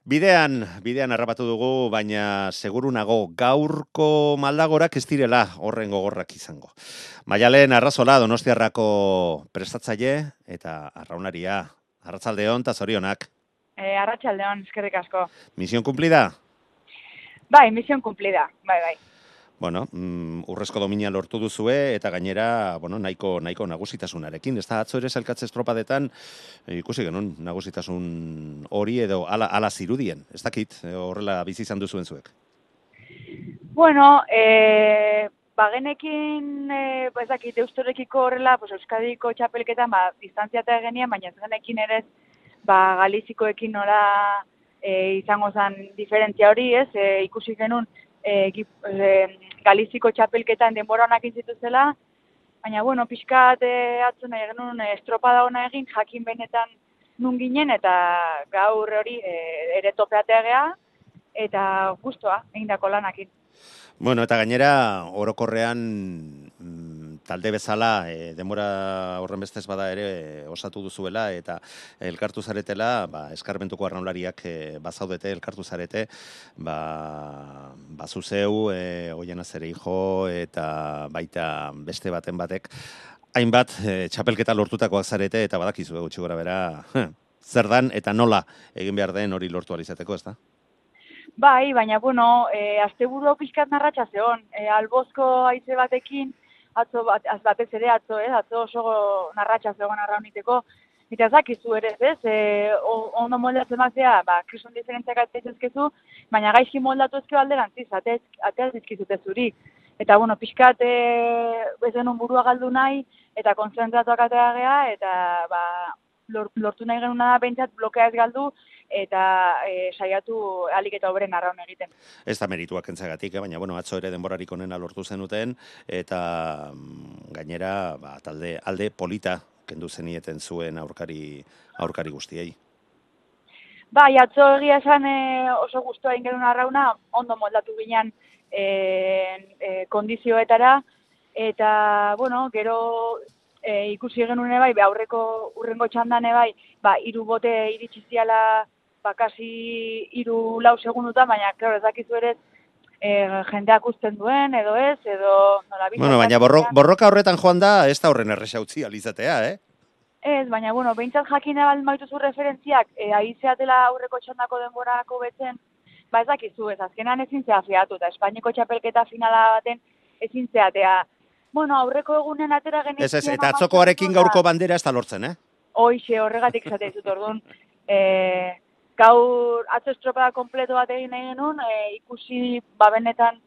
Bidean harrapatu dugu, baina seguru nago gaurko maldagorak ez direla horren gogorrak izango. Maialen Arrazola Donostiarrako prestatzaile eta arraunaria. Arratsaldeon eta zorionak. Arratsaldeon, eskerrik asko. Misión cumplida? Bai, misión cumplida, bai. Bueno, urrezko domina lortu duzue eta gainera, nahiko nagusitasunarekin. Ez da atzo ere sailkatze estropadetan ikusi genuen nagusitasun hori edo ala zirudien. Ez dakit, horrela bizi izan duzuen zuek. Bueno, bagenekin, ez dakit, Deustorekiko horrela, Euskadiko txapelketan, distantziata egenean, baina ez genekin ere, Galizikoekin nola izango zen diferentzia hori, ez? Ikusi genuen, Galiziko txapelketan denbora honak zituzela, baina, pixkat atzo nahi genuen estropada hona egin, jakin benetan nun ginen, eta gaur hori ere topeatea geha, eta guztua, egindako lanakin. Bueno, eta gainera, orokorrean talde bezala, denbora horren bestez bada ere osatu duzuela, eta elkartu zaretela, eskarmentuko arraunlariak bazaudete, elkartu zarete, zuzeu, Oiana Zereijo, eta baita beste baten batek, hainbat txapelketa lortutakoak zarete, eta badakizu gutxi gora bera, zer dan eta nola egin behar den hori lortu alizateko, ez da? Bai, baina, asteburu pixkat narratxa zeon. Albozko haize batekin, atzo batez ere, atzo oso narratxa zegoen arrauniteko. Eta ezakizu ere, ez? Ondo moldatzen bazea, krison diferentziak atzezkezkezu, baina gaizki moldatu ezkeo alderantziz, ateaz dizkizute zuri. Eta, pixkat ez denun burua galdu nahi, eta konzentratuak atea gea, eta lortu nahi genuna da behintzat blokea ez galdu, eta saiatu alik eta obren arraun egiten. Ez da merituak entzagatik, baina atzo ere denborarik onena lortu zenuten, eta gainera alde polita kendu zenieten zuen aurkari guztiei. Bai, atzo egia esan oso guztua egin genuen arrauna, ondo moldatu ginen kondizioetara, eta, gero ikusi genuen bai, aurreko urrengo txandan bai, 3 bote iritsi ziala, kasi 3-4 segundutan, baina, klaro, ez dakizu ere, jendeak uzten duen, edo ez, edo nola bizan. Bueno, baina borroka horretan joan da, ez da horren erresautzi alizatea, Ez, baina, behintzat jakina baldin baituzu referentziak, aizeatela aurreko txandako denborako betzen, ez dakizu, ez azkenan ezin zea fiatu, eta Espainiako txapelketa finala baten ezin zeatea. Aurreko egunen atera genizien... Ez, eta atzokoarekin gaurko bandera ez da lortzen, Hoixe, horregatik zate dizut, orduan. Gaur atzo estropada kompleto bat egin nahi genuen, ikusi benetan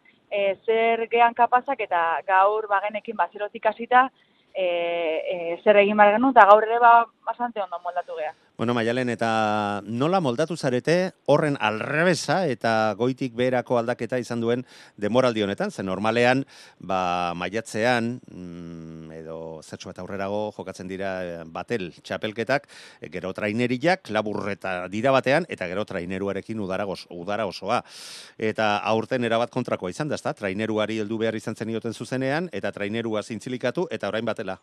zer gehan kapazak, eta gaur bagenekin zerotik hasita zer egin behar genuen, eta gaur ere bastante ondo moldatu geha. Bueno, Maialen, eta nola moldatu zarete horren alrebesa eta goitik beherako aldaketa izan duen denboraldi honetan? Zen normalean, maiatzean, edo zertxo bat aurrerago jokatzen dira batel txapelketak, gero traineriak, laburreta dira batean, eta gero traineruarekin udara osoa. Eta aurten erabat kontrakoa izan da, ezta? Traineruari heldu behar izan zenioten zuzenean, eta trainerua zintzilikatu, eta orain batela.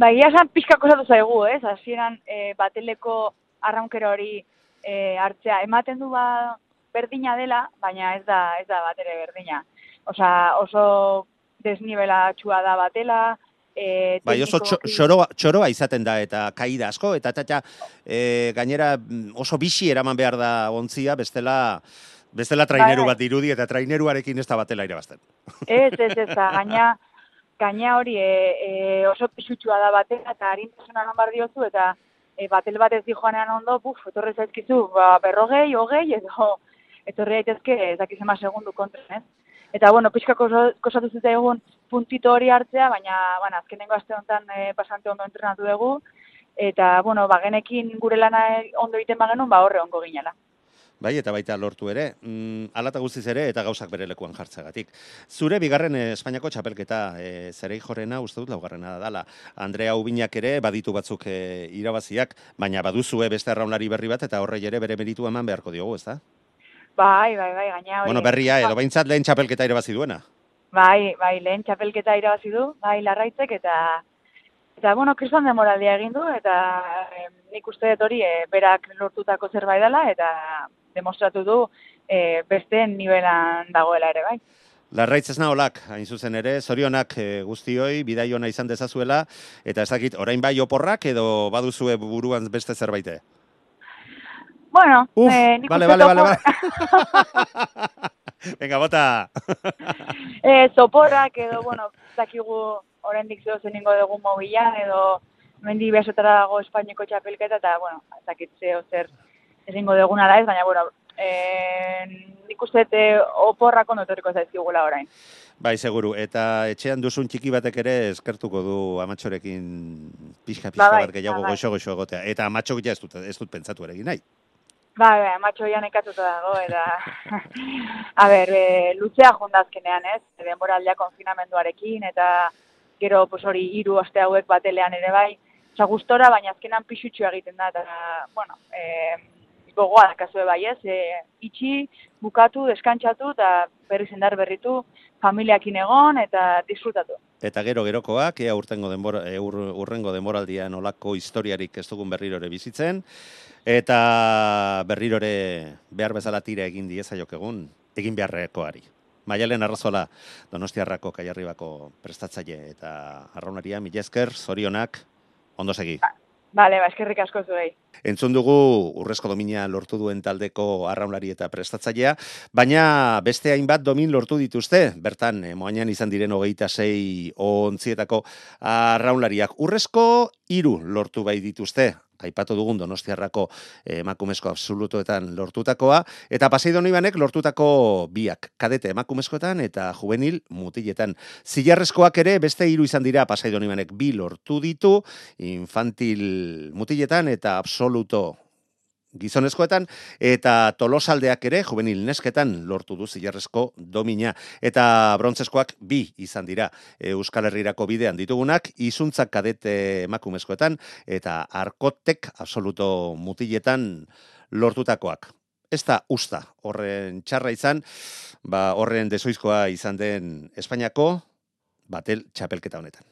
Egia esan pixkako zatu zaigu, ez? Hasieran bateleko arraunkera hori hartzea. Ematen du berdina dela, baina ez da batere berdina. Oso desnibelatxua da batela. Oso txoroa izaten da, eta kaida asko, eta gainera oso bixi eraman behar da ontzia, bestela traineru bat dirudi, eta traineruarekin ez da batela irabazten. Ez, gaina hori oso pixutxua da batela, eta harintasuna lan bar diozu, eta batel bat ez di joanean ondo, etorre zaizkizu, 40, 20, edo etorre daitezke ezakizema segundu kontra, ez? Eta, pixkako kosatu zute egun puntito hori hartzea, baina, azkenengo aste honetan pasante ondo entrenatu dugu, eta, bagenekin gure lana ondo egiten bagenun, horre ongo ginela. Bai, eta baita lortu ere, alata guztiz ere, eta gauzak bere lekuan jartzagatik. Zure bigarren Espainiako txapelketa Zereijorrena, uste dut laugarrena dala. Andrea Ubinak ere baditu batzuk irabaziak, baina baduzue beste arraunlari berri bat, eta horrei ere bere meritu eman beharko diogu, ezta? Bai, gaina hori. Berria, edo behintzat lehen txapelketa irabazi duena. Bai, lehen txapelketa irabazi du, bai Larraitzek, eta Eta, bueno, kriston demoraldia egin du, eta nik uste dut hori berak lortutako zerbait dela, eta demostratu du besteen nivelan dagoela ere, bai. Larraitz ez naholak, hain zuzen ere, zorionak guztioi, bidai ona izan dezazuela, eta ez dakit, orain bai oporrak edo baduzue buruan beste zerbaite? Bueno, nik uste vale. Venga, bota! Zoporrak edo, bueno, zakigu oraindik zeo zeningo dugu mobilan, edo mendi behasotara dago Espainiako txapelketa, eta, bueno, zakit zeo zer ezingo duguna da ez, baina, bueno, nik uste oporrak ondo etorriko zaizkigula orain. Bai, seguru, eta etxean duzun txiki batek ere eskertuko du Amatxorekin pixka bat gehiago goxo egotea, eta Amatxok ja ez dut pentsatu ere egin nahi. Bai, Amatxo ja nekatuta dago, eta, a ber, luzea jondazkenean ez, denboraldia konfinamenduarekin, eta gero, pues hori, 3 aste hauek batelean ere bai, oza, gustora, baina azkenan pixutxu egiten da, eta, bueno, gogoa dakazue bai ez, itxi, bukatu, deskantxatu, eta berriz indar berritu, familiakin egon, eta disfrutatu. Eta gerokoak, ea urrengo denboraldian olako historiarik ez dugun berrirore bizitzen, eta berrirore behar bezala tira egin diezaiok egin beharrekoari. Maialen Arrazola, Donostiarrako Kaiarribako prestatzaile eta arraunaria, mila esker, zorionak, ondo segi. Bale, eskerrik asko zuei. Entzun dugu urrezko domina lortu duen taldeko arraunlari eta prestatzailea, baina beste hainbat domin lortu dituzte, bertan, moainan izan diren 26 ontzietako arraunlariak. Urrezko 3 lortu bai dituzte, aipatu dugun Donostiarrako emakumezko absolutoetan lortutakoa, eta Pasai Donibanek lortutako 2, kadete emakumezkoetan eta juvenil mutiletan. Zilarrezkoak ere beste 3 izan dira, Pasai Donibanek 2 lortu ditu, infantil mutiletan eta absoluto gizonezkoetan, eta Tolosaldeak ere, juvenil nesketan lortu du zilarrezko domina. Eta brontzezkoak 2 izan dira Euskal Herrirako bidean ditugunak, izuntzak kadete emakumezkoetan, eta arkotek absoluto mutiletan lortutakoak. Ez da usta horren txarra izan, horren desoizkoa izan den Espainiako batel txapelketa honetan.